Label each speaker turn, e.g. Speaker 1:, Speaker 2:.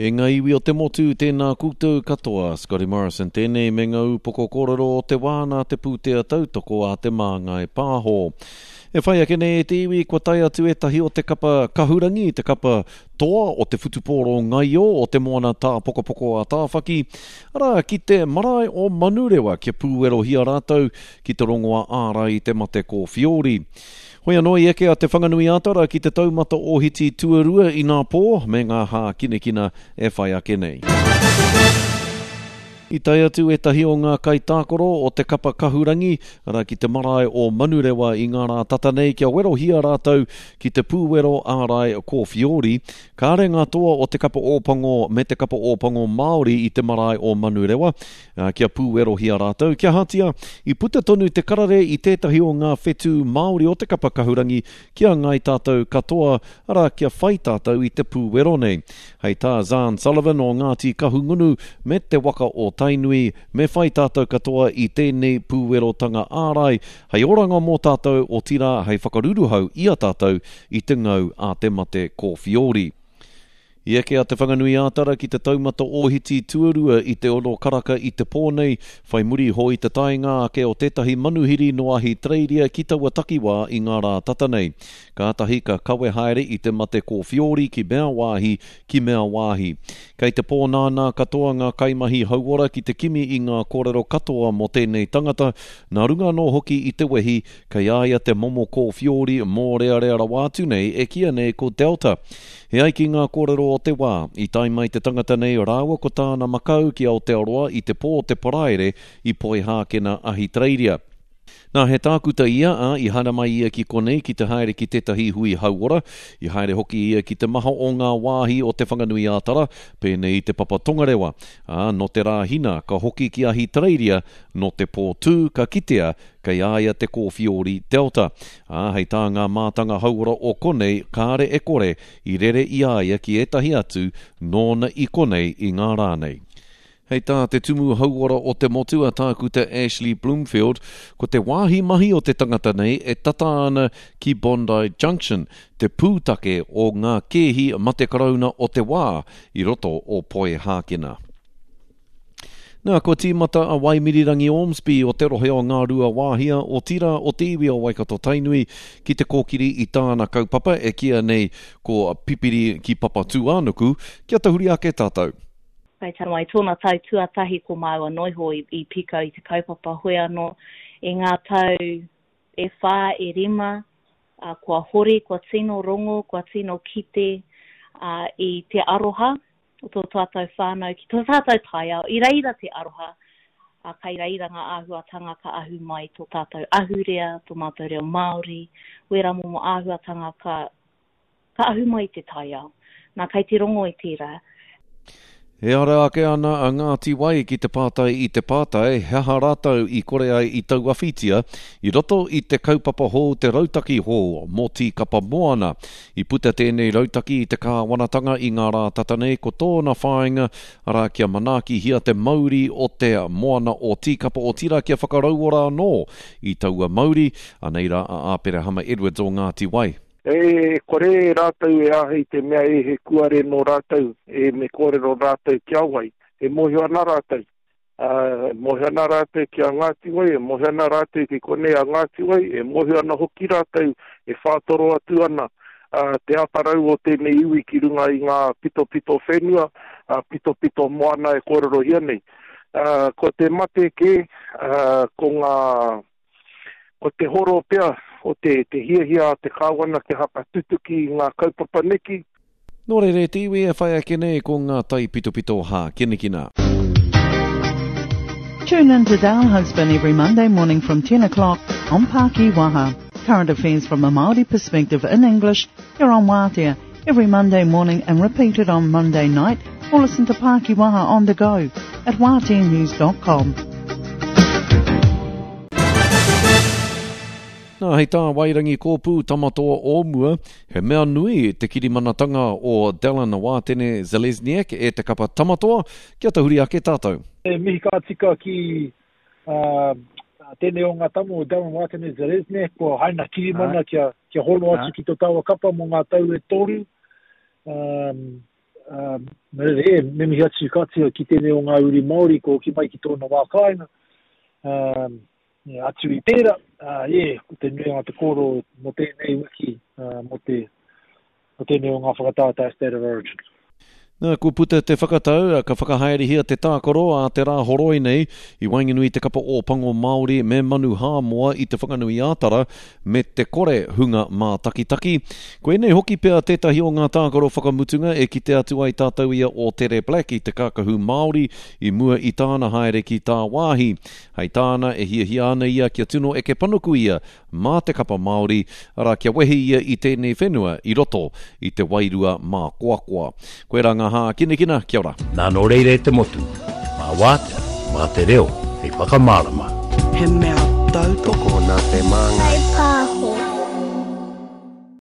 Speaker 1: E ngā iwi o te motu, tēnā koutou katoa. Scotty Morrison tēnei me ngā upoko kōrero o te wā nā te pūtea tautoko a Te Māngai Pāho. E whai ake nei e te iwi, kua tae atu ētahi o te kapa kahurangi, te kapa toa o te whutupōro ngaio o te moana tāpokopoko a Tāwhaki, arā, ki te marae o Manurewa kia pūwerohia rātou ki te rongoā ārai i te mate kōwhiori. Hoi anō i eke a Te Whanganui-a-Tara ki te taumata ōhiti tuarua inapō me ngā hākinakina e whai ake nei. I tae atu ētahi o ngā kaitākaro o te kapa kahurangi, arā ki te marae o Manurewa i ngā rā tata nei kia werohia rātou ki te pūwero ārai kōwhiori. Kāre ngā toa o te kapa Ōpango me te kapa Ōpango Māori i te marae o Manurewa, ā, kia pūwerohia rātou, kia ahatia, i puta tonu te karere i tētahi o ngā whetū Māori o te kapa kahurangi ki a ngāi tātou katoa, arā, kia whai tātou i te pūwero nei. Hei tā Zarn Sullivan o Ngāti Kahungunu me te waka o Tainui, me whai tātou katoa i tēnei pūwerotanga ārai, hei oranga mō tātou, otirā, hei whakaruruhau i a tātou i te ngau a te mate kōwhiori. I eke a Te Whanganui-ā-Tara ki te taumata ōhiti tuarua i te ono karaka i te pō nei, whai muri iho i te taenga ake o tētahi manuhiri nō Ahitereiria ki taua takiwā i ngā rā tata nei. Kātahi ka kawe haere i te mate kōwhiori ki mea wāhi, ki mea wāhi. Kei te pōnānā katoa ngā kaimahi hauora ki te kimi i ngā kōrero katoa mō tēnei tangata, nā runga anō hoki i te wehi kei a ia te momo kōwhiori mōrearea rawa atu nei e kīia nei ko Delta. E ai ki ngā kōrero o te wā, i tae mai te tangata nei rāua ko tāna makau ki Aotearoa i te pō o te Paraire i Poihākena, Ahitereiria. Nā, he tākuta ia, ā, i haere mai ia ki konei ki te haere ki tētahi hui hauora. I haere hoki ia ki te maha o ngā wāhi o Te Whanganui-ā-Tara, pēnei i Te Papa Tongarewa. Ā, nō te Rāhina, ka hoki ki Ahitereiria, nō te pō tū, ka kitea Kei a ia te kōwhiori Delta, ā, hei tā ngā mātanga hauora o konei, kāre e kore i rere i a ia ki ētahi atu nōna i konei i ngā rā nei. Hei tā te Tumu Hauora o te Motu a Tākuta Ashley Bloomfield, ko te wāhi mahi o te tangata nei e tata ana ki Bondi Junction, te pūtake o ngā kēhi mate karauna o te wā i roto o Poihākena. Nā, kua tīmata a Waimirirangi Ormsby o te rohe o Ngāruawāhia, otirā o te iwi o Waikato-Tainui, ki te kōkiri i tāna kaupapa e kīia nei ko Pipiri ki Papatūānuku, kia tahuri ake tātou.
Speaker 2: Kai Tanawai tōna tau tuatahi ko māua noiho i, i pikau i te kaupapa hoi anō i ngā tau e whā, e rima, ā, kua hori, kua tino rongo, kua tino kite, ā, i te aroha o tō tātou whānau ki tō tātou taiao, i reira te aroha, ā, kai reira ngā āhuatanga ka ahu mai tō tātou ahurea, tō mātou reo Māori, wērā momo āhuatanga ka, ka ahu mai i te taiao. Nā, kai te rongo i tērā.
Speaker 1: E ara ake ana a Ngāti Wai ki te pātai i te pātai he aha rātou i kore ai i tauawhitia i roto i te kaupapa hou te rautaki hou mō Tīkapa Moana. I puta tēnei rautaki i te kāwanatanga i ngā rā tata nei ko tōna whāinga, arā kia manaakihia te mauri o te moana o Tīkapa otirā kia whakarauora anō i taua mauri, anei rā a Āperahama Edwards o Ngāti Wai.
Speaker 3: E kore rātou e āhei te mea e he kuare nō rātou, e me kōrero rātou ki a wai, e mōhio ana rātou. Ā, e mōhio ana rātou ki a Ngāti Wai, e mōhio ana rātou ki konei a Ngāti Wai, e mōhio ana hoki rātou e whātoro atu ana te atarau o tēnei iwi ki runga i ngā pitopito whenua, pitopito moana e kōrerohia nei. Ā, ko te mate kē, ā, ko ngā, ko te horo pea o te, te hiahia a te Kāwana kia whakatutuki i ngā kaupapa neki,
Speaker 1: Nō reira e te iwi e whai ake nei ko ngā taipitopito hākinakina.
Speaker 4: Tune in to Dale Husband every Monday morning from 10 o'clock on Paki Waha. Current affairs from a Māori perspective in English here on Wātea every Monday morning and repeated on Monday night or listen to Paki Waha on the go at wāteanews.com.
Speaker 1: Nā, hei tā Wairangi Kōpū Tamatoa o mua, he mea nui te kirimanatanga o Dallin Wātene Zelezniak e te kapa Tamatoa, kia tahuri ake tātou.
Speaker 5: E mihi ka tika ki tēnei o ngā tama o Dallin Wātene Zelezniak, kua haina kirimana kia, kia hono atu ki tō tāua kapa mō ngā tau e toru. Nō reira, e, me mihi atu ka tika ki tēnei o ngā uri Māori kua hoki mai ki tōna wā kāinga. Atu i tērā, e, ko te nuinga o te kōrero mō tēnei wiki, mō te, mō tēnei o ngā whakataetae State of Origin.
Speaker 1: Nā, kua puta te whakatau, ka whakahaerehia te tākaro a te Rāhoroi nei i waenganui i te kapa Ōpango Māori me Manu Hāmoa i Te Whanganui-ā-Tara me te kore hunga mātakitaki. Koinei hoki pea tētahi o ngā tākaro whakamutunga e kite atu ai tātou i a Ōtere Black i te kākahu Māori i mua i tāna haere ki tāwāhi. Hei tāna, e hiahia ana ia kia tino eke panuku ia mā te kapa Māori, arā, kia wehi ia i tēnei whenua i roto i te wairua mākoakoa. Koirā ngā hākinakina, kia ora.
Speaker 6: Nā nō reira e te motu, mā Wātea, mā te reo hei whakamārama.
Speaker 4: He mea tautoko.
Speaker 7: Tokona te māngai.